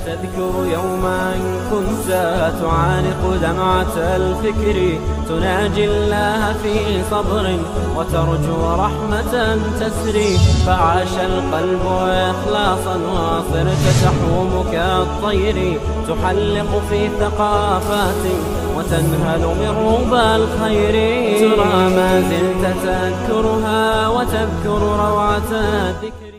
تذكر يوما كنت تعانق دمعة الفكر تناجي الله في صبر وترجو رحمة تسري فعاش القلب إخلاصا وصرت تحوم كالطير تحلق في ثقافات وتنهل من ربى الخير ترى ما زلت تذكرها وتذكر روعة الذكر.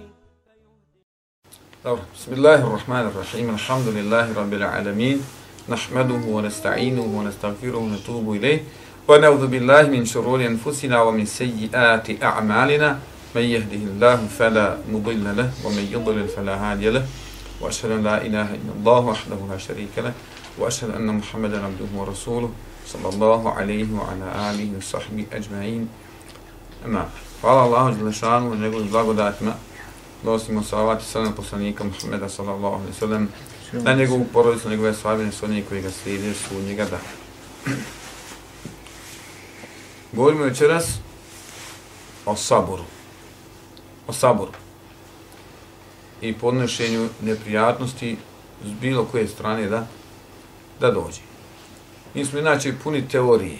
بسم الله الرحمن الرحيم الحمد لله رب العالمين نحمده ونستعينه ونستغفره ونتوب إليه ونعوذ بالله من شرور أنفسنا ومن سيئات أعمالنا من يهده الله فلا مضل له ومن يضلل فلا هادي له وأشهد أن لا إله إلا الله وحده لا شريك له وأشهد أن محمدا عبده ورسوله صلى الله عليه وعلى آله وصحبه أجمعين. أما قال الله جل شانه ونقول blagodatima donosimo salavat i salam poslanika Muhammeda sallallahu alejhi ve sellem na njegovu porodicu, njegove sahbe, sve oni koji ga slijede su njega da. Govorimo večeras o saboru. O saboru. I podnošenju neprijatnosti s bilo koje strane da dođe. Mi smo inače puni teorije.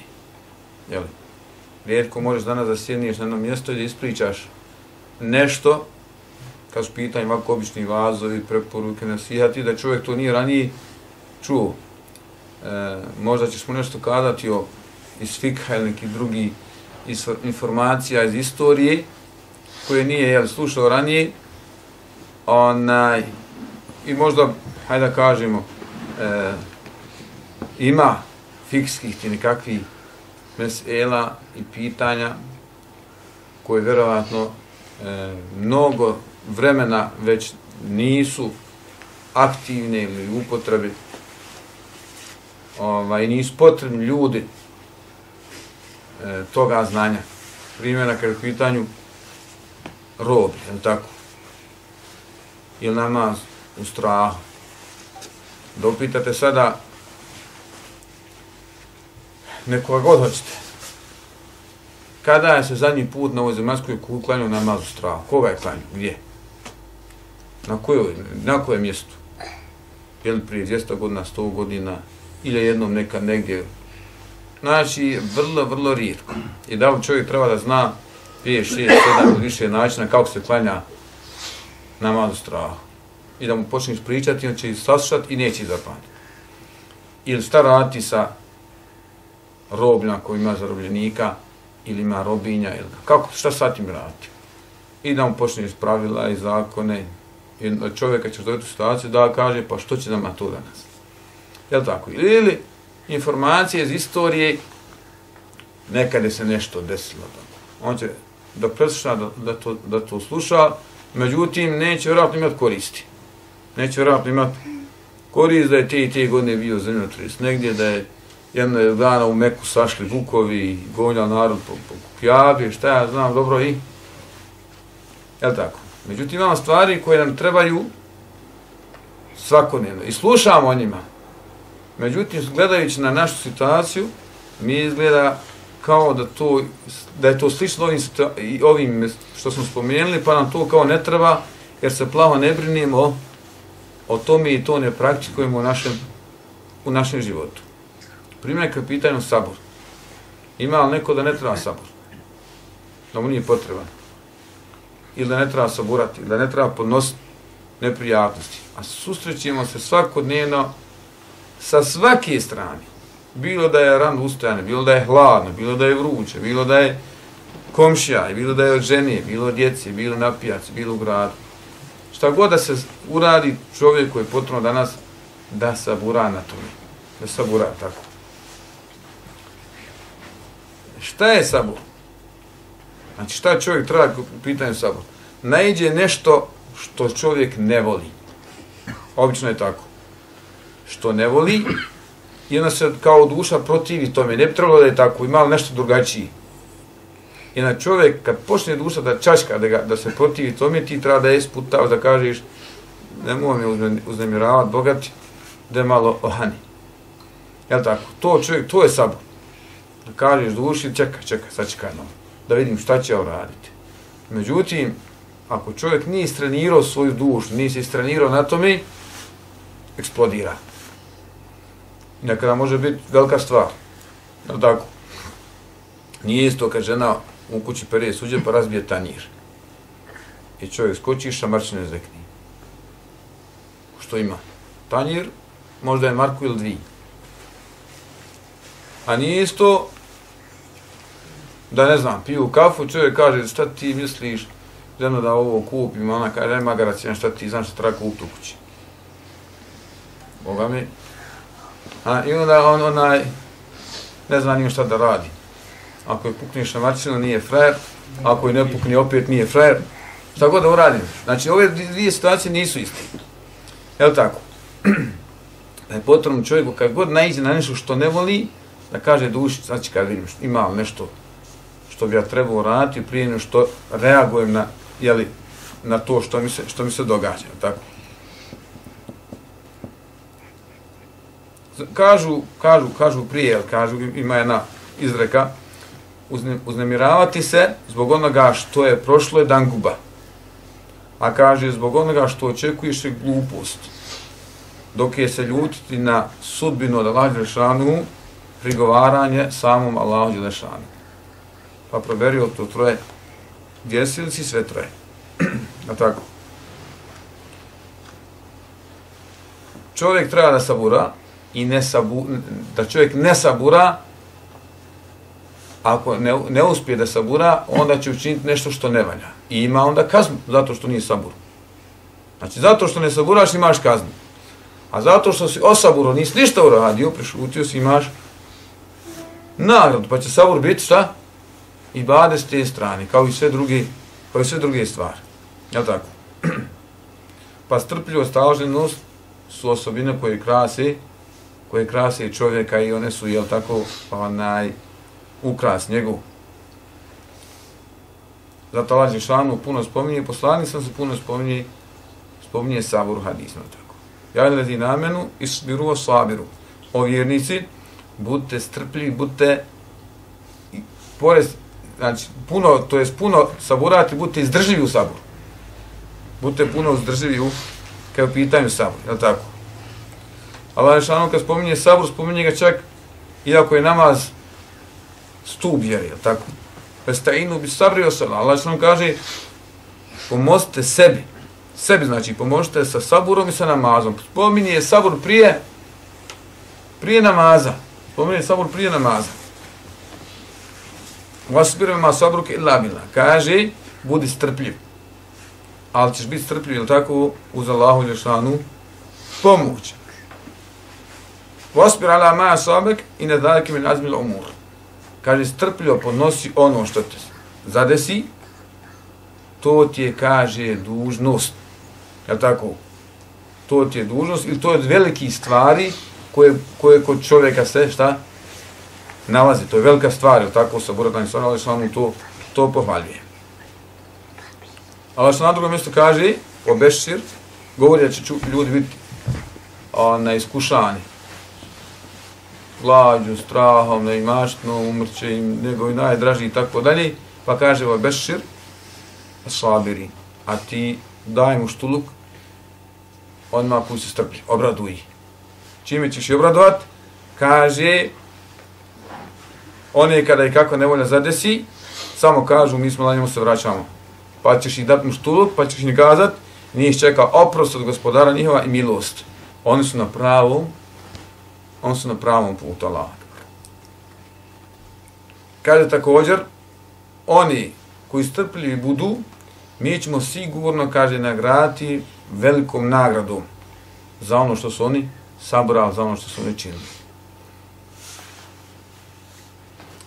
Jeli? Rijetko možeš danas da sjedniješ na jedno mjesto i da ispričaš nešto kad su pitanje ovako obični vazovi, preporuke, nasihati, da čovjek to nije ranije čuo. Možda ćeš mu nešto kazati iz fikha ili nekih drugih informacija iz istorije koje nije slušao ranije. I možda, hajde da kažemo, ima fikskih i nekakvih mesela i pitanja koje vjerovatno mnogo vremena već nisu aktivne ili u upotrebi i nisu potrebni ljudi toga znanja. Primjera kada je u pitanju robi, je li tako? Ili namaz u strahu. Da upitate sada nekoga god hoćete. Kada je se zadnji put na ovoj zemaljskoj kugli klanjao namaz u strahu? Koga je klanjao? Gdje? Na kojem mjestu? Je li prije 200 godina, 100 godina ili jednom nekad negdje? Znači, vrlo rijetko. I da li čovjek treba da zna 5, 6, 7 ili više načina kako se klanja namaz u strahu. I da mu počneš pričati, on će ih saslušati i neće ih zapamtiti. Ili šta raditi sa robljama koji ima zarobljenika ili ima robinja, ili šta sad im raditi. I da mu počneš pravila i zakone. I čovjeka ćeš dojeti u situaciju da kaže pa što će nama to danas. Jel' tako? Ili informacije iz istorije nekada se nešto desilo. On će da presluša, da to sluša, međutim neće vjerojatno imati koristi. Neće vjerojatno imati korist da je te godine bio zemljotres negdje, da je jednog dana u Meku sašli vukovi i gonjali narod po Kjabi, šta ja znam dobro i jel' tako? Međutim, imamo stvari koje nam trebaju svakodnevno i slušamo o njima. Međutim, gledajući na našu situaciju, mi izgleda kao da je to slično ovim što smo spomenuli, pa nam to kao ne treba, jer se plavo ne brinimo o tome i to ne praktikujemo u našem životu. Primjer kad pitanju sabor. Ima li neko da ne treba sabor? Da mu nije potreban? Ili da ne treba saburati, da ne treba podnositi neprijatnosti. A susrećemo se svakodnevno sa svake strane. Bilo da je rano ustajane, bilo da je hladno, bilo da je vruće, bilo da je komšija, bilo da je od žene, bilo od djece, bilo na pijaci, bilo u gradu. Šta god da se uradi, čovjeku je potrebno danas da sabura na tome. Da sabura tako. Šta je sabor? Znači šta čovjek treba u pitanju sabor? Naiđe nešto što čovjek ne voli. Obično je tako. Što ne voli i onda se kao duša protivi tome. Ne bi trebalo da je tako, ima li nešto drugačije. I na čovjek kad počne duša da čačka, da se protivi tome, ti treba da je isputavaš, da kažeš nemoj me uznemiravati, bogati, da je malo ohani. Jel' tako? To čovjek, to je sabor. Da kažeš duši, čekaj, sačekaj malo, da vidim šta će ovo raditi. Međutim, ako čovjek nije istrenirao svoju dušu, nije se istrenirao na tome, eksplodira. Nekada može biti velika stvar. No, tako. Nije isto kad žena u kući pere suđe pa razbije tanjir. I čovjek skoči i šamarčine zvekni. Što ima? Tanjir, možda je marku ili dvije. A nije isto da, ne znam, piju kafu, čovjek kaže, šta ti misliš, ženo da ovo kupim, ona kaže, nema garacija, šta ti znaš šta treba kupiti u kući. Boga mi. I onda onaj, ne zna nije šta da radi. Ako je pukne šamarčina, nije frajer, ako je ne pukne, opet nije frajer. Šta god da uradim. Znači, ove dvije situacije nisu iste. Jel' tako? Da je potrebno čovjeku, kad god naiđe na nešto što ne voli, da kaže duši, znači kad vidim ima nešto što bi ja trebao raditi prije nego što reagujem na, jeli, na to što mi se događa. Tako? Kažu prije, ima jedna izreka, uznemiravati se zbog onoga što je prošlo je danguba. A kaže, zbog onoga što očekuješ je glupost. Dok je se ljutiti na sudbinu od Allaha Đelešanu, prigovaranje samom Allahu Đelešanu. Pa proberio to troje. Gdje si ili si sve troje? A tako. Čovjek treba da sabura i da čovjek ne sabura. Ako ne uspije da sabura, onda će učiniti nešto što ne valja. I ima onda kaznu, zato što nije sabur. Znači, zato što ne saburaš, imaš kaznu. A zato što si osaburo, nisi ništa uradio, prešutio si, imaš nagradu. Pa će sabur biti šta? Ibadet s te strane, kao i sve druge stvari. Jel' tako? Pa strpljivost, staloženost su osobine koje krase čovjeka i one su, jel' tako, ukras njegov. Zato Allah Đelešanu puno spominje, poslanik sam se puno spominje sabur hadisno. Tako. Ja lezi namenu isbiru o sabiru. O vjernici, budite strpljivi, budite znači puno saburati, budite izdrživi u saburu. Budite puno izdrživi kada u pitanju sabur, je li tako? Allah Đelešanu kad spominje sabur, spominje ga čak iako je namaz stup vjeri, je li tako? Festainu bi sabri osala. Allah što nam kaže, pomozite sebi. Sebi znači, pomožite sa saburom i sa namazom. Spominje sabur prije namaza. Spominje sabur prije namaza. Vasbirima sabruke illa billah. Kaže, budi strpljiv. Ali ćeš biti strpljiv, je li tako, uz Allahu Đelešanu pomoć. Vasbir ala ma asabek i ne daleke min azmil umur. Kaže, strpljivo podnosi ono što te zadesi, to ti je, kaže, dužnost. Jel' tako? To ti je dužnost ili to je od velikih stvari koje kod čovjeka se, šta? Nalazi. To je velika stvar, jel' tako? Saburatani stvar, ali samo to pohvaljuje. Ali što na drugom mjestu kaže, obešir, govori da će ljudi biti iskušani. Glađu, strahom, neimaštno, umrće im njegovi najdraži i tako dalje. Pa kaže obešir, sabiri, a ti daj mu štuluk, odmah puj se strplji, obraduj ih. Čime ćeš ih obradovat? Kaže, one kada i kako nevolja zadesi, samo kažu, mi smo na njemu se vraćamo. Pa ćeš ih dati mu štuluk, pa ćeš ih kazat, nije ih čeka oprost od gospodara njihova i milost. Oni su na pravom putu Allaha. Kaže također, oni koji strpljivi budu, mi ćemo sigurno, kaže, nagraditi velikom nagradom za ono što su oni sabrali, za ono što su oni činili.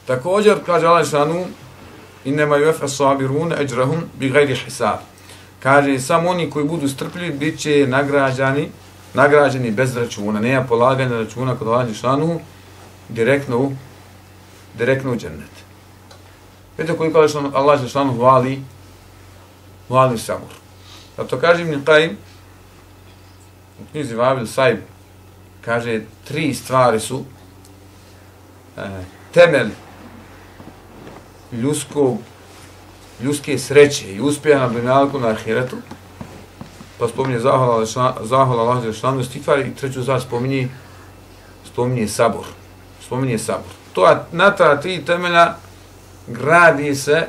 Također, kaže Allah Đelešanu, innema yuwaffa sabirun ajrahum bighayri hisab. Kaže, samo oni koji budu strpljivi bit će nagrađeni bez računa, nema polaganja računa kod Allah Đelešanu, direktno u džennet. Vidite koliko Allah Đelešanu hvali sabur. Zato kaže Ibn Qajim, u knjizi Vabil Saib, kaže, 3 stvari su temelj ljudske sreće i uspjeha na dunjalku na ahiretu. pa spominje zahvala Allah Đelešanu, istighfar i treću stvar spominje sabor. Spominje sabor. Na ta tri temelja gradi se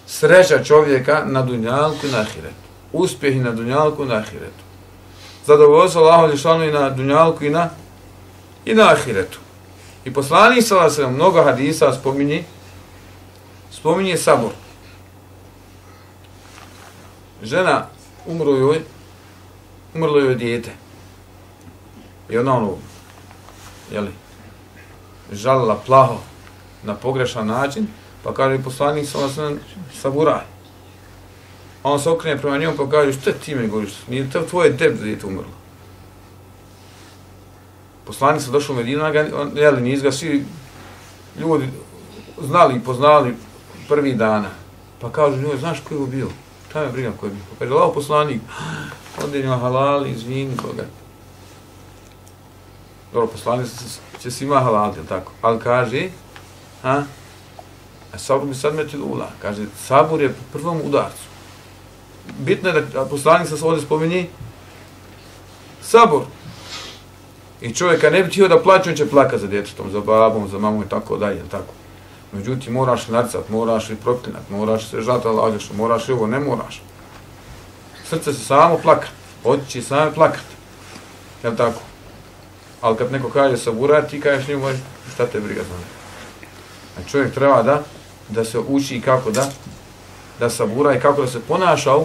sreća čovjeka na dunjalku i na ahiretu. Uspjeh i na dunjalku i na ahiretu. Zadovoljstvo Allahu Đelešanu i na dunjalku i na ahiretu. I poslanik sallallahu alejhi ve sellem mnogo hadisa spominje sabor. Žena umrlo joj dijete. I ona žalila plaho na pogrešan način, pa kaže poslanik sallallahu alejhi ve sellem saburaj. On se okrene prema njemu pa kaže, što ti me govoriš? Nije to tvoje dijete umrlo. Poslanik se došao u Medinu, nisu ga svi ljudi znali i poznali prvi dana. Pa kažu njoj, znaš ko je ovo bio? Šta me briga ko je bio? Pa kaže, lao poslanik, onda je njima halal, izvini koga. Dobro, poslanik će svima halaliti, tako? Ali kaže, sabur bi sad metil ula. Kaže, sabur je po prvom udarcu. Bitno je da poslanik se ovdje spominje sabor. I čovjeka ne bi htio da plaće, on će plakati za djetetom, za babom, za mamom i tako dalje, tako. Međutim, moraš narcat, moraš i proklinat, moraš se žati lađaš, moraš i ovo, ne moraš. Srce se samo plakat, oči će same plakat. Jel' tako? Ali kad neko kaže sabura, ti kažeš njemu, šta te briga za njega. A čovjek treba da se uči kako da sabura i kako da se ponaša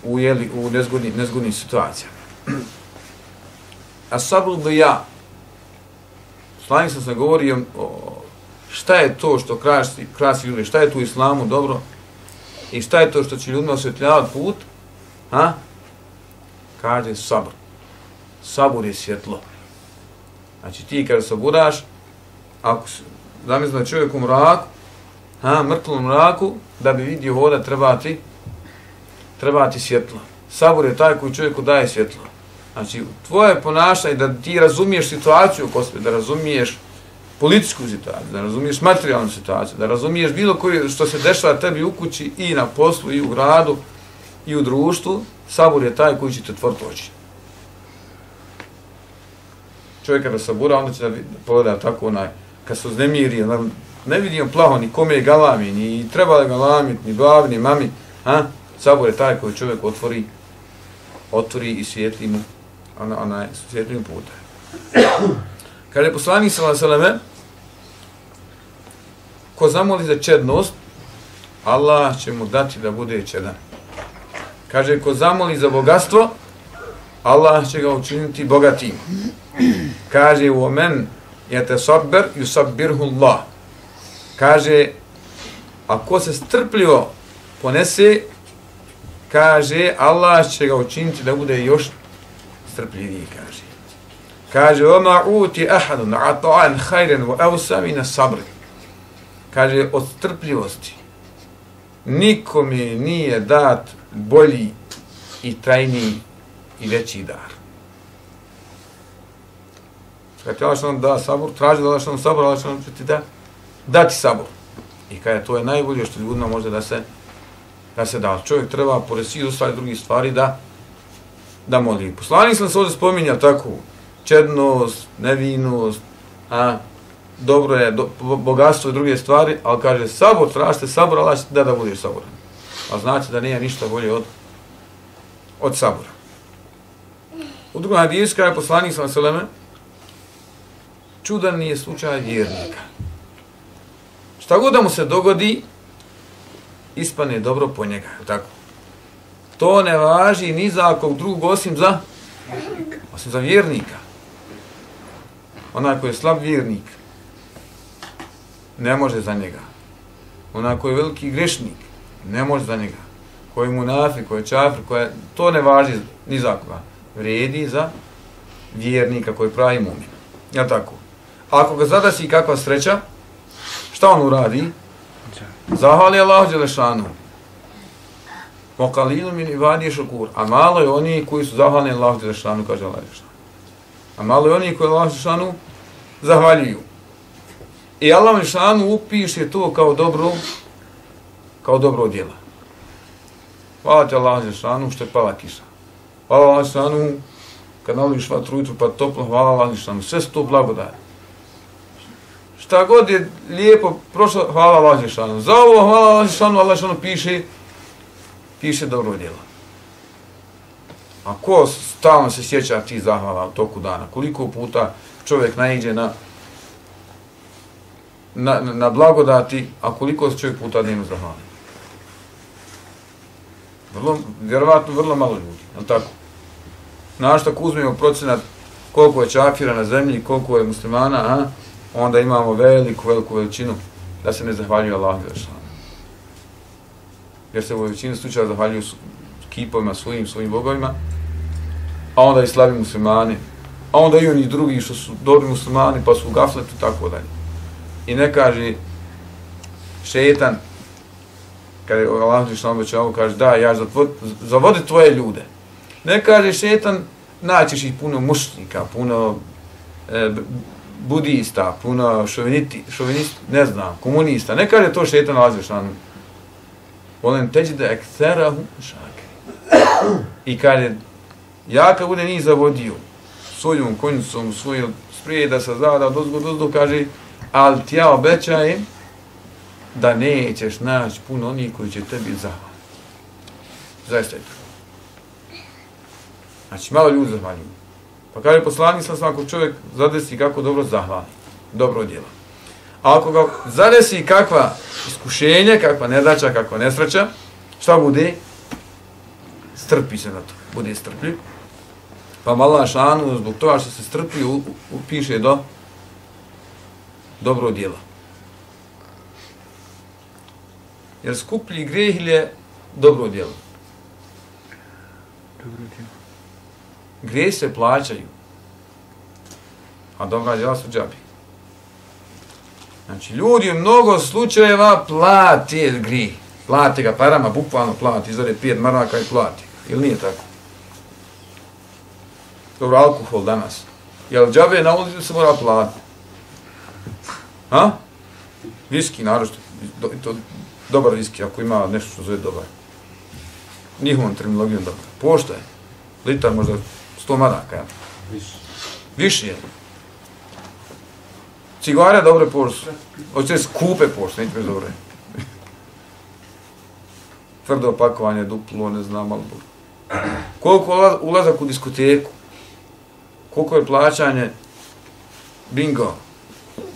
u nezgodnim situacijama. A sabru bi ja. Poslanik sam govorio šta je to što krasi ljudi, šta je tu u islamu dobro i šta je to što će ljudima osvjetljavati put, kaže sabr. Sabur je svjetlo. Znači ti kada saburaš, ako zamisli da čovjek u mraku, mrtlom mraku, da bi vidio voda treba ti svjetlo. Sabur je taj koji čovjeku daje svjetlo. Znači, tvoje ponašanje da ti razumiješ situaciju oko sebe, da razumiješ političku situaciju, da razumiješ materijalnu situaciju, da razumiješ bilo koje što se dešava tebi u kući i na poslu, i u gradu, i u društvu, sabur je taj koji će te otvoriti oči. Čovjek kada sabura, onda će da pogleda tako kad se uznemiri, ne vidim plaho ni kome je galami, ni treba da galamit, ni babi, ni mami, sabur je taj koji čovjek otvori i svijetli mu svijetlim putem. Kada je poslanik sallallahu alejhi ve sellem ko zamoli za čednost, Allah će mu dati da bude čedan. Kaže, ko zamoli za bogatstvo, Allah će ga učiniti bogatim. Kaže, u omen yatasabbar yusabbirhu Allah. Kaže, ako se strpljivo ponese, kaže, Allah će ga učiniti da bude još strpljiviji, kaže. Kaže, وَمَا عُوتِ أَحَدٌ عَطَعًا خَيْرًا وَأَوْسَ مِنَ الصَّبْرِ. Kaže, od strpljivosti nikome nije dat bolji i trajniji i veći dar. Kad ti Allah što nam da sabor, traži da Allah što nam sabor, Allah što nam će ti dati sabor. I kaže, to je najbolje što ljudima može da se da. Čovjek treba, pored svih ostalih drugih stvari, da moli. Poslanik sam se ovdje spominjao tako, čednost, nevinost, dobro je, bogatstvo i druge stvari, ali kaže, sabor, tražite sabor, Allah će ti da budeš saboran. A znači da nije ništa bolje od sabora. U drugom hadisu kaže poslanik sallallahu alejhi ve sellem, čudan nije slučaj vjernika. Šta god da mu se dogodi, ispane dobro po njega, tako. To ne važi ni za kog drugog osim za vjernika. Onaj koji je slab vjernik, ne može za njega. Onaj koji je veliki grešnik, ne može za njega. Koji je munafik, koji je čafir, to ne važi ni za koga. Vredi za vjernika koji pravi mu'min. Jel' tako? Ako ga zadasi kakva sreća, šta on uradi? Zahvali Allahu Đelešanu. Moqalilu min ibadi šukur. A malo je oni koji su zahvalni Allahu Đelešanu, kaže Allah Đelešanu. A malo je oni koji Allahu Đelešanu zahvaljuju. I Allah Đelešanu upiše to kao dobro djelo. Hvala ti Allah Žešanu što je pala kiša. Hvala Allah Žešanu kad nališ vatru ujutru pa toplo, hvala Allah Žešanu. Sve su to blagodati. Šta god je lijepo prošlo, hvala Allah Žešanu. Za ovo hvala Allah Žešanu, Allah Žešanu piše dobro djelo. A ko stalno se sjeća ti zahvala u toku dana? Koliko puta čovjek naiđe na blagodati, a koliko se čovjek puta dnevno zahvali? Vjerovatno vrlo malo ljudi, je li tako? Znaš, ako uzmemo procenat koliko je čafira na zemlji, koliko je muslimana, onda imamo veliku veličinu da se ne zahvaljuju Allahu Žešanu. Jer se u većini slučaja zahvaljuju kipovima svojim bogovima, a onda i slabi muslimani, a onda i oni drugi što su dobri muslimani pa su u gafletu i tako dalje. I ne kaže šetan, kada je Allah Žešanu obećao, kaže da, ja zavodi tvoje ljude. Ne kaže šetan, naćeš ih puno mušnika, puno budista, puno šovinista, ne znam, komunista. Ne kaže to šetan Allah Žešanu. Volen teđi da ektherahu šakri. I kaže, ja kad bude njih zavodio svojom konjicom, svojom sprijeda sa zada, dozgo, kaže, ali ti ja obećajem da nećeš naći puno onih koji će tebi zahvaliti. Zaista je to. Znači, malo ljudi zahvaljuju. Pa kaže poslanik sam ako čovjek zadesi kako dobro zahvali, dobro djela. A ako ga zadesi kakva iskušenja, kakva nedaća, kakva nesreća, šta bude? Strpi se na to, bude strpljiv. Pa Allah šanu, zbog toga što se strpi, upiše do dobro djela. Jer skuplji greh je dobro djelo. Grijeh se plaćaju, a dobra djela su džabi. Znači, ljudi u mnogo slučajeva plati grijeh. Plati ga parama, bukvalno plati, izvore 5 maraka i plati. Ili nije tako? Dobro, alkohol danas. Jel džabe na ulici se mora platiti? Ha? Viski, naročito. Dobar viski, ako ima nešto što zove dobar. Njihovom terminologijom dobar. Pošto je? Litar možda 100 maraka, ja? Više je. Cigare dobre pošto. Hoće skupe pošto, neće bez dobre. Tvrdo opakovanje, duplo, ne znam, ali koliko ulazak u diskoteku, koliko je plaćanje bingo,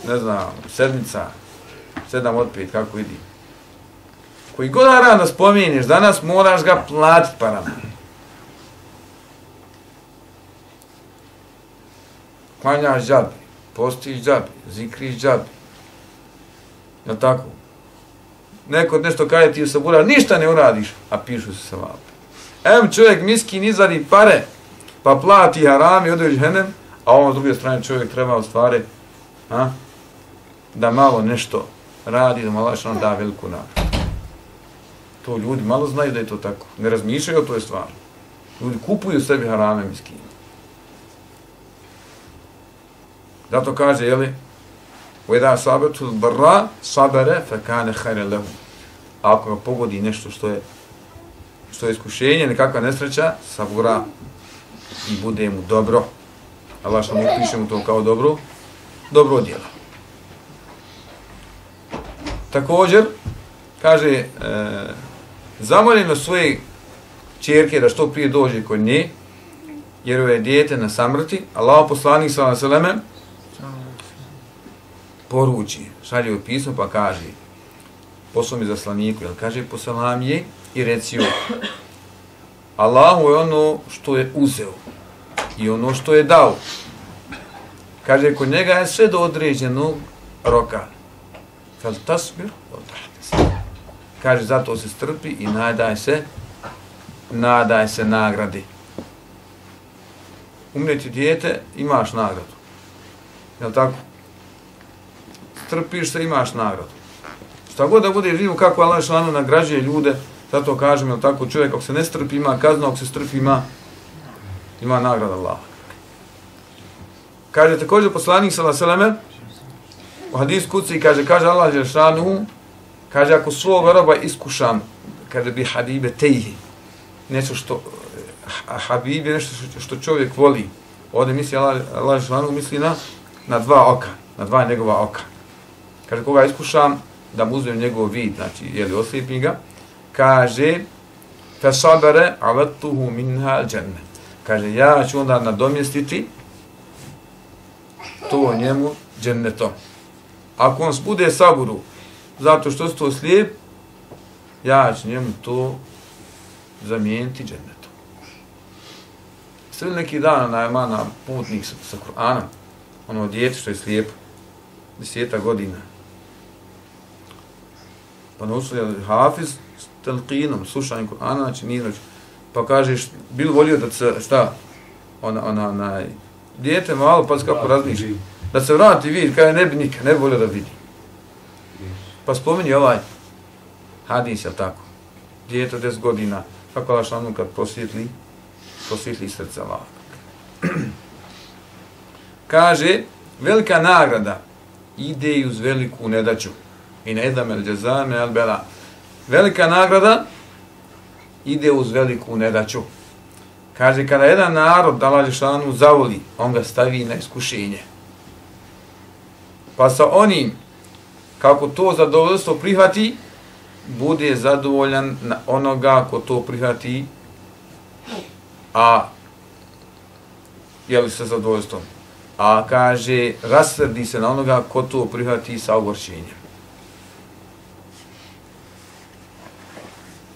ne znam, sedmica, 7 od 5, kako vidi. Koji god rano spomeniš, danas moraš ga platiti parama. Klanjaš džabi, postiš džabi, zikriš džabi. Jel' tako? Neko nešto kaže ti se bura, ništa ne uradiš, a pišu se sa vape. Čovjek miskin izvadi pare, pa plati haram i ode u džehennem, a ovo s druge strane čovjek treba u stvari da malo nešto radi, da malo što da veliku nagradu. To ljudi malo znaju da je to tako, ne razmišljaju o toj stvari. Ljudi kupuju sebi harame miskine. Zato kaže, jeli, وَإِذَا صَابَتُ الْبَرَّ صَبَرَ فَكَانَ خَيْرًا لَهُ. Ako ga pogodi nešto što je iskušenje, nekakva nesreća, sabura i bude mu dobro. Allah što mu piše mu to kao dobro djelo. Također, kaže, zamoljeno svoje čerke da što prije dođe kod nje, jer joj je dijete na samrti, Allah poslanik sallallahu alejhi ve sellem poruči, šalje joj pismo pa kaže, poslao mi zaslaniku, jel kaže, poselam je i reci joj, Allahu je ono što je uzeo i ono što je dao. Kaže, kod njega je sve do određenog roka. Fel tasbir, kaže, zato se strpi i nadaj se nagradi. Umreti dijete, imaš nagradu. Jel' tako? Strpiš se, imaš nagradu. Šta god da bude živo, kako Allah šalano nagrađuje ljude, zato kažem, jel' tako, čovjek ako se ne strpi, ima kaznu, ako se strpi, ima nagrada Allah. Kaže također poslanik sallallahu alejhi ve sellem u hadisu kuci kaže Allah šalano, kaže ako svog roba iskušam, kaže bi habibe tejhi, nešto što Habib je nešto što čovjek voli. Ovdje misli Allah dželešanu misli na dva oka, na dva njegova oka. Kaže, koga iskušam, da mu uzmem njegov vid, znači, jeli, oslijepim ga, kaže, فَصَبَرَ عَوَتُّهُ مِنْهَا الْجَنَّةِ. Kaže, ja ću onda nadomjestiti to njemu džennetom. Ako on bude saburu, zato što se to slijep, ja ću njemu to zamijeniti džennetom. Sve neki dan na putnik sa Kur'anom, ono djete što je slijepo, 10 godina. Pa naučili hafiz s telkinom, slušanjem Kur'ana, znači nije znači. Pa kažeš, bil volio da se, šta, dijete malo, pa kako razmišlja, da se vrati vidi, kada ne bi nikad, ne bi volio da vidi. Pa spomeni ovaj hadis, jel tako, dijete 10 godina, kako Allah šanu kad prosvjetli srce Allah. Kaže, velika nagrada ide i uz veliku nedaću. I ne edam el džezame el bela. Velika nagrada ide uz veliku nedaću. Kaže, kada jedan narod Allah dželešanu zavoli, on ga stavi na iskušenje. Pa sa onim, kako to zadovoljstvo prihvati, bude zadovoljan na onoga ko to prihvati, a jeli sa zadovoljstvom. A kaže, rasrdi se na onoga ko to prihvati sa ogorčenjem.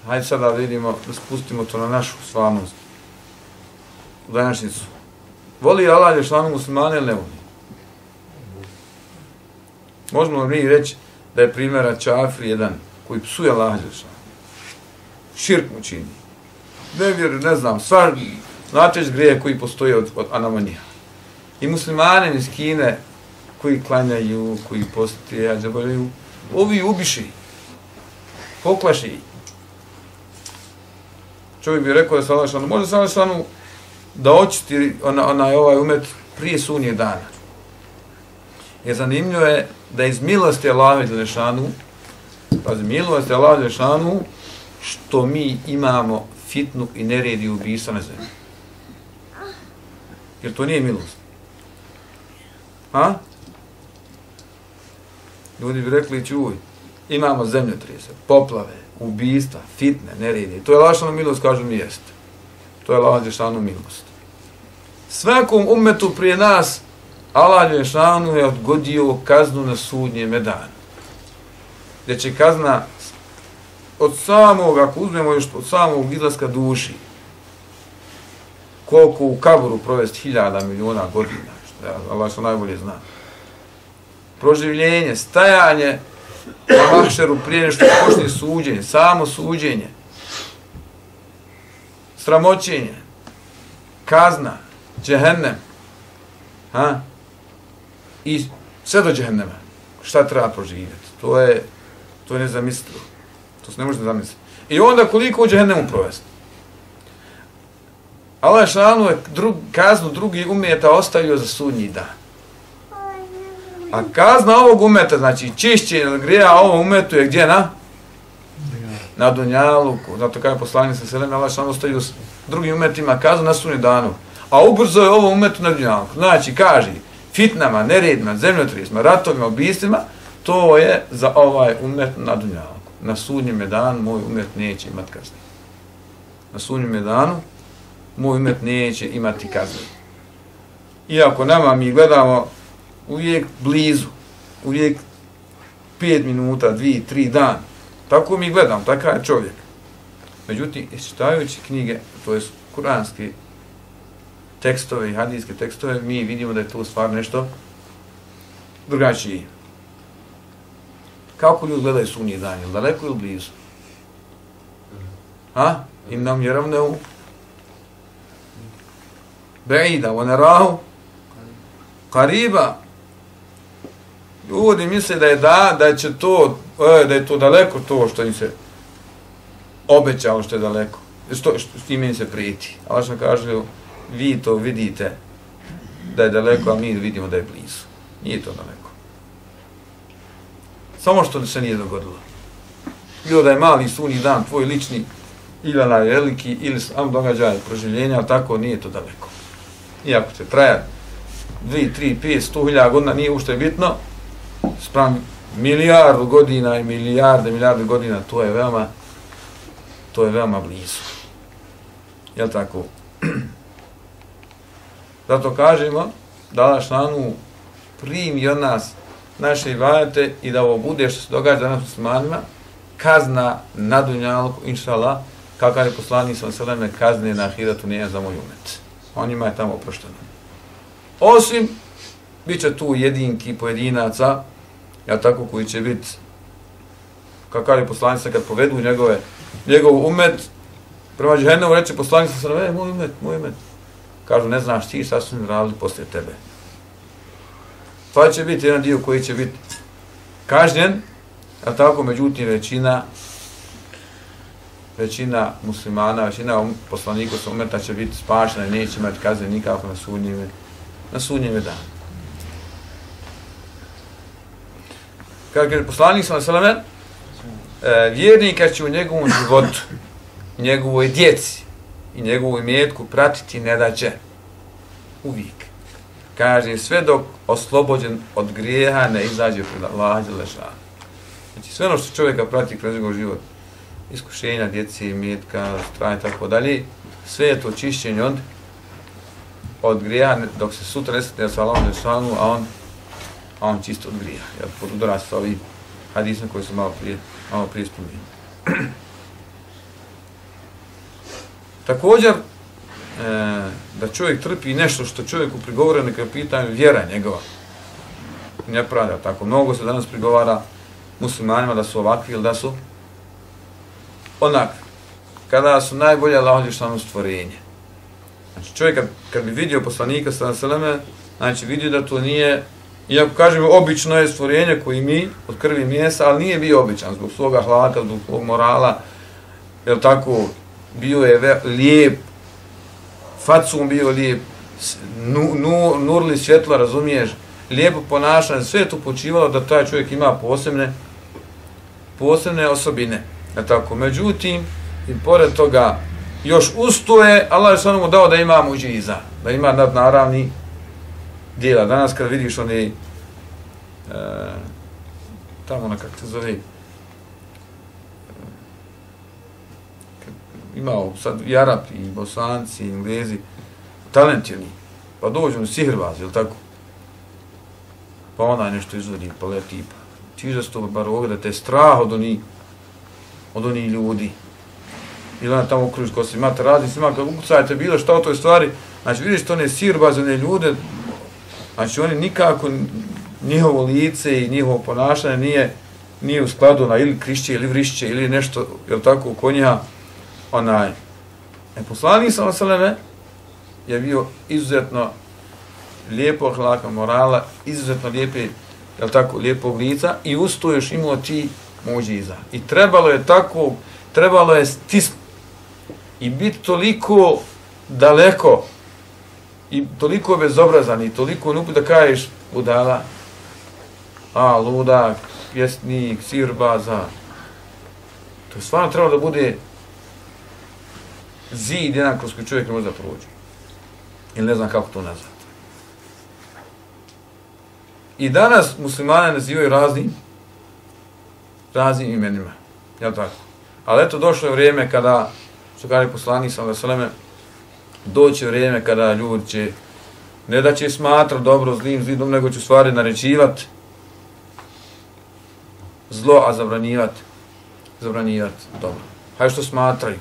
Hajde sada vidimo, da spustimo to na našu stvarnost. U današnjicu. Voli Allah dželešanu muslimane ili ne voli? Možemo mi reći da je primjera čafir jedan koji psuje Allah dželešanu. Širk mu čini. Ne znam, stvar, znate grije koji postoje od anamonija. I muslimane iz Kine koji klanjaju, koji postije, ađabalju, ovi ubiši, poklaši. Čovjek bi rekao da se Allah dželešanu, može se Allah dželešanu da očisti ovaj umet prije sunnjeg dana. Jer zanimljivo je da iz milosti Allaha dželešanu, pazi, milosti Allaha dželešanu, što mi imamo fitnu i neredi ubistva na zemlji. Jer to nije milost. Ha? Ljudi bi rekli, čuj, imamo zemljotrese, poplave, ubistva, fitne, neredi. To je lašana milost, kažu mi jeste. To je Allah dželešanu milost. Svakom ummetu prije nas Allah dželešanu je odgodio kaznu na sudnjem danu. Gdje će kazna od samog, ako uzmemo još od samog izlaska duši, koliko u kaburu provesti 1000 miliona godina, što Allah što najbolje zna. Proživljenje, stajanje na mahšeru prije nešto počne suđenje, samo suđenje, sramoćenje, kazna, džehennem, i sve do džehennema. Šta treba proživjeti? To je nezamislivo. To se ne može zamisliti. I onda koliko u džehennemu provesti? Allah dželešanu je kaznu drugih umeta ostavio za sudnji dan. A kazna ovog umeta, znači čišćenje grija ovom umetu je gdje na dunjaluku. Zato kada je poslanik sa selem, Allah dželešanu ostavio drugim umetima kaznu na sudnji danu. A ubrzo je ovom umetu na dunjaluku. Znači, kaže, fitnama, neredima, zemljotresima, ratovima, ubistvima, to je za ovaj umet na dunjaluku. Na sudnjem danu moj umet neće imati kazne. Na sudnjem danu moj umet neće imati kazne. Iako nama mi gledamo uvijek blizu, uvijek 5 minuta, 2, 3 dana. Tako mi gledam, takav je čovjek. Međutim, čitajući knjige, to je kuranske tekstove i hadijske tekstove, mi vidimo da je to stvar nešto drugačije. Kako ljudi gledaju sudnji dan, ili daleko ili blizu? Im nam je ravneu be'ida, wa narahu qariba. Ljudi misle da je to daleko to što im se obećalo što je daleko, s time im se prijeti. Allah što kaže, vi to vidite da je daleko, a mi vidimo da je blizu. Nije to daleko. Samo što se nije dogodilo. Bilo da je mali sudnji dan, tvoj lični, ili onaj veliki, ili sam događaj proživljenja, ali tako nije to daleko. Iako će trajati 2, 3, 5, 100.000 godina, nije ušte bitno, sprem milijardu godina i milijarde godina, to je veoma blizu. Jel tako? Zato kažemo da Allah šanu primi od nas naše ibadete i da ovo bude što se događa danas muslimanima, kazna na dunjalku, inša Allah, kakav je poslanik sallallahu alejhi ve sellem, kazne na ahiratu nije za moj umet. On njima je tamo oprošteno. Osim, bit će tu jedinki pojedinaca, ja tako, koji će biti, kakav je poslanik kad povedu njegov umet, prema džehennemu reče poslanik sallallahu alejhi ve sellem, moj umet. Kažu, ne znaš ti šta su mi radili poslije tebe. Pa će biti jedan dio koji će biti kažnjen, a tako, međutim, većina muslimana, većina poslanika sa umeta će biti spašena i neće imati kazne nikako na sudnjeme dane. Kako je poslanik sallallahu alejhi ve sellem, vjernika će u njegovom životu, njegovoj djeci i njegovu imetku pratiti nedaće. Uvijek. Kaže, sve dok oslobođen od grijeha ne izađe pred Allaha dželle šanu. Znači, sve ono što čovjeka prati kroz njegov život, iskušenja, djece, imetka, straha i tako dalje, sve je to čišćenje od grijeha, dok se sutra ne sretne sa Allahom dželle šanu, a on čisto od grijeha. Ja podudara sa ovim hadisima koji su malo prije spomenuli. Također, da čovjek trpi nešto što čovjeku prigovore, neka je pitanje vjera njegova. Nepravda, tako. Mnogo se danas prigovara muslimanima da su ovakvi ili da su onakvi. Kada su najbolje Allahov dželešanu stvorenje. Znači, čovjek kad bi vidio poslanika sallallahu alejhi ve selleme, znači vidio da to nije, iako kažemo obično je stvorenje koji mi od krvi i mesa, ali nije bio običan zbog svoga hlaka, zbog svog morala, jer tako bio je lijep, facum bio lijep, nurli svjetlo, razumiješ, lijepo ponašanje, sve je to počivalo da taj čovjek ima posebne osobine. Tako, međutim, i pored toga, još ustoje, Allah je samo mu dao da ima muđiza, da ima nadnaravni dijela. Danas kad vidiš oni, tamo na kako se zove, imao sad i Arapi, i Bosanci, i Englezi, talentirni, pa dođu u sihrbazi, ili tako? Pa onaj nešto izvodi, pa leti, pa čiže se to bar ovoga da te je strah od onih ljudi. Ili ona tamo okruži ko se imate razni snima, kad ukucajte bilo šta o toj stvari, znači vidiš to one sirbazene ljude, znači oni nikako, njihovo lice i njihovo ponašanje nije u skladu na ili krišće ili vrišće ili nešto, jel tako, oko njiha, onaj. Poslanik sallallahu alejhi ve sellem je bio izuzetno lijepog hlaka morala, izuzetno lijepe, jel tako, lijepog lica i usto još imao ti muđiza. I trebalo je stisnuti i biti toliko daleko i toliko bezobrazan i toliko nupi da kažeš budala, ludak, pjesnik, sirbaza. To je stvarno trebalo da bude zid jedan kroz koji čovjek ne može da prođe. Ili ne znam kako to nazvati. I danas muslimane nazivaju raznim imenima. Jel tako? Ali eto, došlo je vrijeme kada, što kaže poslanik sallallahu alejhi ve selleme, doće vrijeme kada ljudi će, ne da će smatrati dobro zlim, nego će stvari naređivati zlo, a zabranjivati dobro. Hajde što smatraju,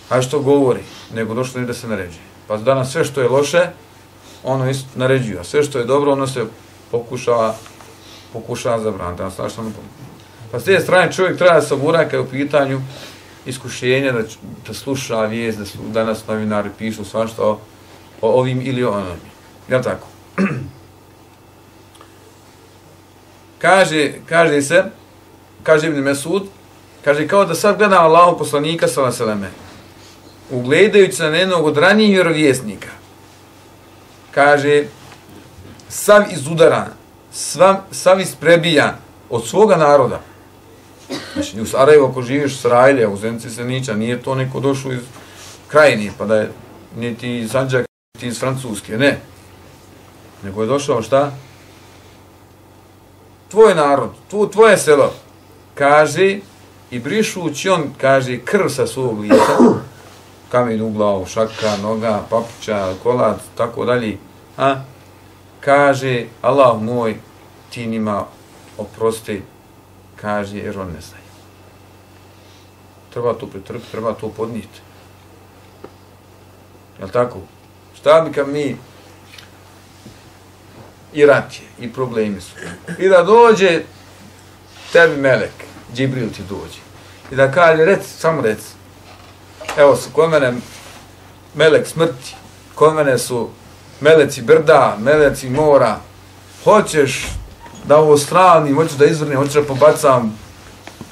hajde što govori, nego došlo je da se naređuje. Pa danas sve što je loše, ono naređuje, a sve što je dobro, ono se pokušava zabraniti. Pa s te strane čovjek treba da se obura kad je u pitanju iskušenja, da sluša vijest, da danas novinari pišu svašta o ovim ili o onom. Jel' tako? Kaže Ibn Mesud, kaže kao da sad gledam Allahov poslanika sallallahu alejhi ve selleme, ugledajući se na jednog od ranijih vjerovjesnika, kaže, sav izudaran, sav isprebijan od svoga naroda, Znači, u Sarajevo, ako živiš u Srajlje, u Zenici Senića, nije to neko došao iz Krajine, pa da je niti iz Sandžaka, niti iz Francuske, ne. Nego je došao šta? Tvoj narod, tvoje selo, kaže, i brišući on, kaže, krv sa svog lica, kamen u glavu, šaka, noga, papuča, kolac, tako dalje, kaže, Allah moj, ti njima oprosti, kaže, jer on ne znaju. Treba to pretrpiti, treba to podnijeti. Jel' tako? Šta bi kad mi i rat je, i problemi su. I da dođe tebi melek, Džibril ti dođe. I da kaže, samo reci. Evo su kod mene melek smrti, kod mene su meleci brda, meleci mora. Hoćeš da ovo stranim, hoćeš da izvrnim, hoćeš da pobacam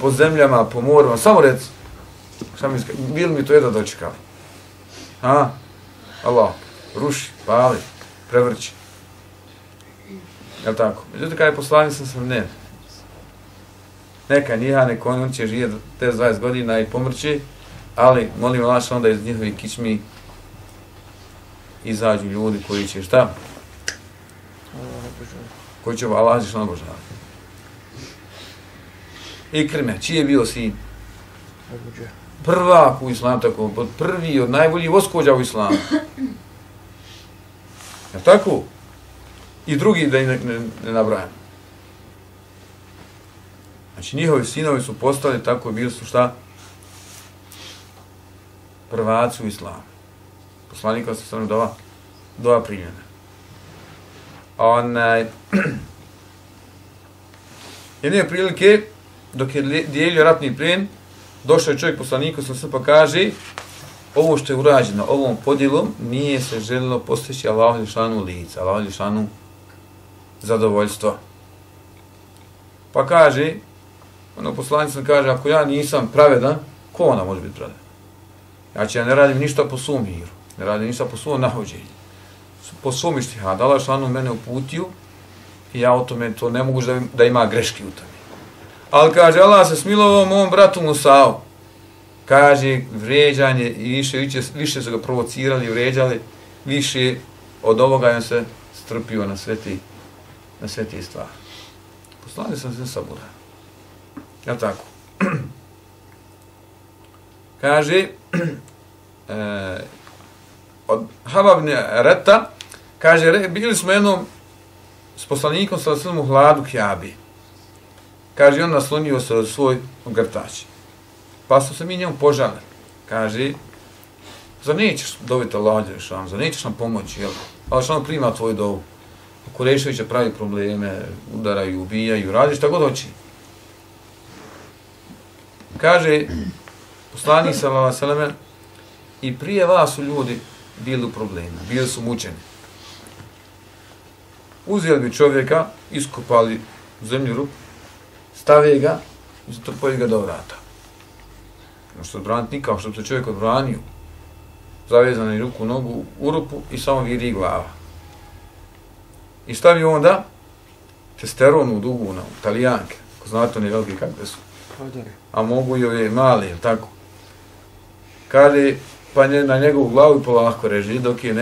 po zemljama, po morima, samo reci. Šta mi iskali? Bili mi to jedno dočekali? Allah, ruši, pali, prevrći. Jel' tako? Međutim, kada je poslanik sam ne. Neka njiha, neko on će živjeti 20 godina i pomrći, ali molim Allah onda iz njihovih kičmi izađu ljudi koji će šta? Koji će Allah što obožavati. Ikrime, čiji je bio sin? Prvak u islamu, tako, prvi od najboljih voskođa u islamu. Jel' tako? I drugi da ne nabrajam. Znači, njihovi sinovi su postali tako, bili su šta? Prvaci u islamu. Poslanika se stvarno dova primljena. Jedne prilike, dok je dijelio ratni plijen, došao je čovjek poslaniku se pa kaže, ovo što je urađeno ovom podjelom nije se željelo postići Allahu dželešanu lica, Allahu dželešanu zadovoljstvo. Pa kaže, poslanik sam kaže, ako ja nisam pravedan, ko ona može biti pravedan? Znači, ja ne radim ništa po svom miru, ne radim ništa po svom nahođenju, po svom ištihadu. Allah dželešanu mene uputio i ja o tome to ne mogu da ima greške u tome. Ali kaže, Allah se smilovao mom bratu Musa'u. Kaže, vrijeđanje i više su ga provocirali i vrijeđali, više od ovoga on se strpio na sve te stvari. Poslanik sam se sabura. Jel' tako? Kaže, od Hababne Reta, kaže, bili smo jednom s poslanikom sallallahu u hladu Kjabi. Kaže, on naslonio se od svoj ogrtač. Pa su se mi njemu požalili. Kaže, zar nećeš dobiti Allah dželešanu, zar nećeš nam pomoći, jel? Allah dželešanu prima tvoju dovu. Kureševića pravi probleme, udaraju, ubijaju, radi šta god hoće. Kaže, poslanik sallallahu alejhi ve selleme, i prije vas su ljudi bili u problemu, bili su mučeni. Uzeli bi čovjeka, iskopali u zemlju rupu, stave ga i zatrpaju ga do vrata. Možete odbraniti nikako, što bi se čovjek odbranio. Zavezani ruku, nogu u rupu i samo viri glava. I stavi onda testeronu dugu na Italijanke, ako znate one velike kakve su. A mogu i ove male, tako. Kaže, pa na njegovu glavu polako reži, dok je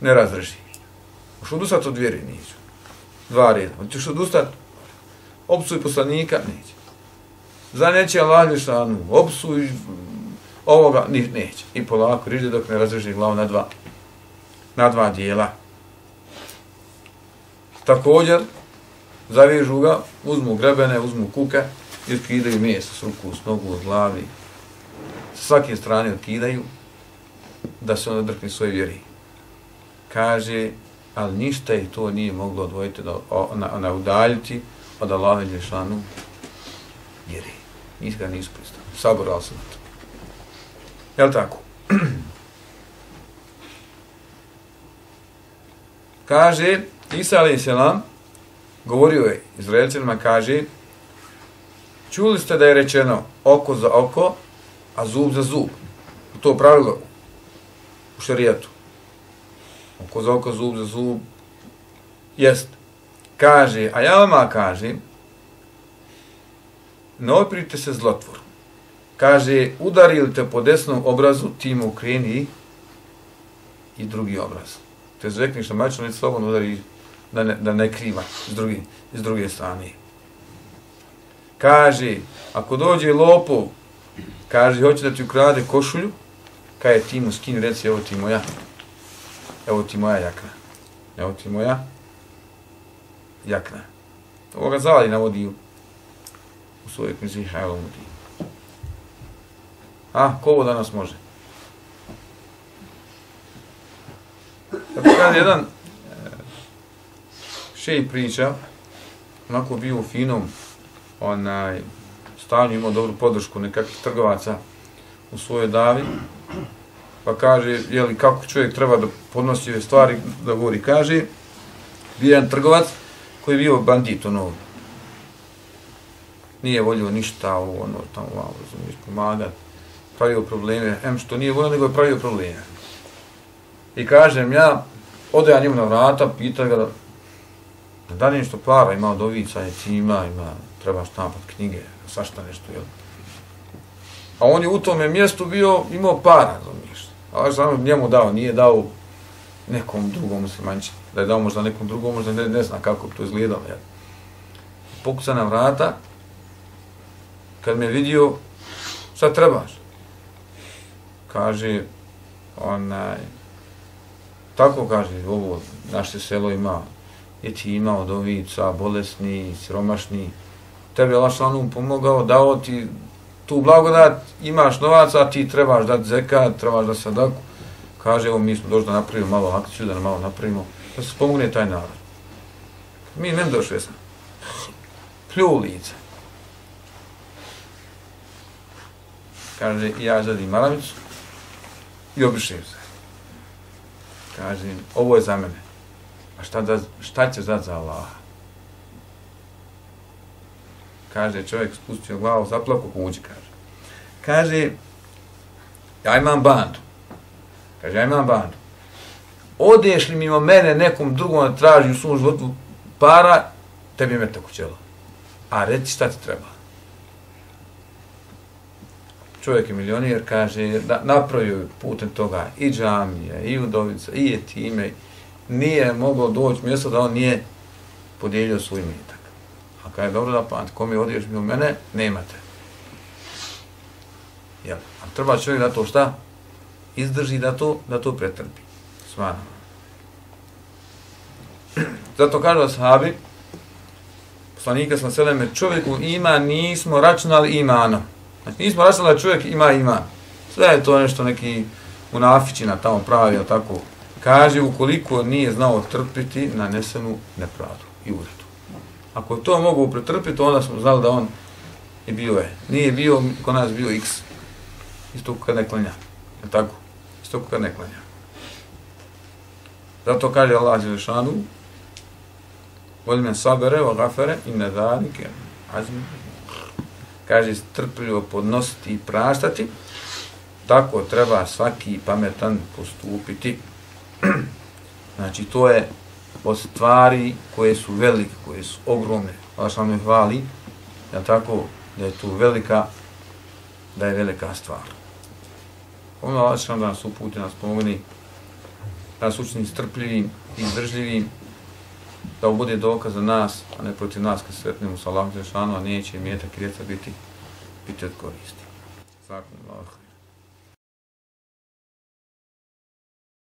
ne razreži. Možeš odustati od vjeri, neću. 2 reda. Hoćeš odustati, opsuj poslanika, neće. Za neće Allah dželešanu, opsuj ovoga, neće. I polako reži dok ne razreži glavu na 2 dijela. Također, zavežu ga, uzmu grebene, uzmu kuke i otkidaju meso s ruku, s nogu, od glavi. Sa svake strane otkidaju da se on odrkne svoje vjeri. Kaže, ali ništa je to nije moglo odvojiti, udaljiti od Allaha dželešanu vjeri. Nisu pristali. Saborali se na to. Jel' tako? Kaže, Isa alejhi selam govorio je Izraelcima, kaže, čuli ste da je rečeno oko za oko, a zub za zub. To pravilo u šerijatu. Oko za oko, zub za zub. Jest. Kaže, a ja vama kažem, ne oprite se zlotvoru. Kaže, udari li te po desnom obrazu, ti mu okreni i drugi obraz. Te zvekni što mačno, neće slobodno udari da ne kriva iz druge strane. Kaže, ako dođe lopov, kaže, hoće da ti ukrade košulju, kaže, ti mu skini, reci, evo ti moja jakna. Evo ti moja jakna. Ovo ga Zavali navodi u svojoj knjizi Hajlomudi. Ko ovo danas može? Tako kada jedan šejh priča, onako bio u finom stanju, imao dobru podršku nekakvih trgovaca u svojoj davi, pa kaže, jeli, kako čovjek treba da podnosi ove stvari, da govori, kaže, bio jedan trgovac koji je bio bandit, nije volio ništa, tamo, razumiješ, pomagat, pravio probleme, što nije volio, nego je pravio probleme. I kažem, ode ja njemu na vrata, pita ga da li nešto para, ima od ovica, ima, treba štampat knjige, svašta nešto, jel? A on je u tome mjestu imao para, razumiješ. Ali samo njemu dao, nije dao nekom drugom muslimančinu. Da je dao možda nekom drugom, možda ne zna kako to izgledalo, jel? Pokuca na vrata, kad me vidio, šta trebaš? Kaže, tako kaže, ovo naše selo ima jetima, odovica, bolesni, siromašni. Tebi je Allah šalom pomogao, dao ti tu blagodat, imaš novaca, a ti trebaš dati zekat, trebaš dati sadaku. Kaže, evo mi smo došli da napravimo malo akciju, da malo napravimo, da se pomogne taj narod. Mi nem došli sam. Plju u lice. Kaže, ja zadim maramicu i obrišem se. Kaže, ovo je za mene. A šta ćeš dati za Allaha? Kaže, čovjek spustio glavu, zaplako kuđi, kaže. Kaže, ja imam bandu. Kaže, ja imam bandu. Odeš li mimo mene nekom drugom da traži u svom životu para, tebi je metak u čelo. A reci šta ti treba. Čovjek je milijonijer, kaže, napravio putem toga i džamije, i udovica, i jetime. Nije moglo doći mjesto da on nije podijelio svoj imetak. A kada je dobro da pamati, kome odiješ mimo mene, nemate. Jel? A treba čovjek da to šta? Izdrži da to pretrpi. Svana. Zato kažu ashabi, poslanika sallallahu alejhi ve sellem, čovjeku ima, nismo računali imanom. Znači nismo računali da čovjek ima iman. Sve je to nešto neki munafičina tamo pravi, tako. Kaže, ukoliko nije znao trpiti nanesenu nepravdu i uvredu. Ako je to mogu pretrpiti, onda smo znali da on je bio Nije bio, kod nas bio X. Isto kad ne klanja. Je tako? Isto kad ne klanja. Zato kaže Allah Đelešanu, voli men sabere, o gafere, i ne zalike, azmi. Kaže, strpljivo podnositi i praštati, tako treba svaki pametan postupiti. Znači, to je od stvari koje su velike, koje su ogromne. Allah što me hvali, da tako, da je tu velika stvar. Ono Allah što da nas uputi, nas pomogni, da nas učini strpljivim i izdržljivim, da ovo bude dokaz za nas, a ne protiv nas kad sretnemo sa Allahom Đelešanu, a neće imetak i djeca biti od koristi. Zakon Allah.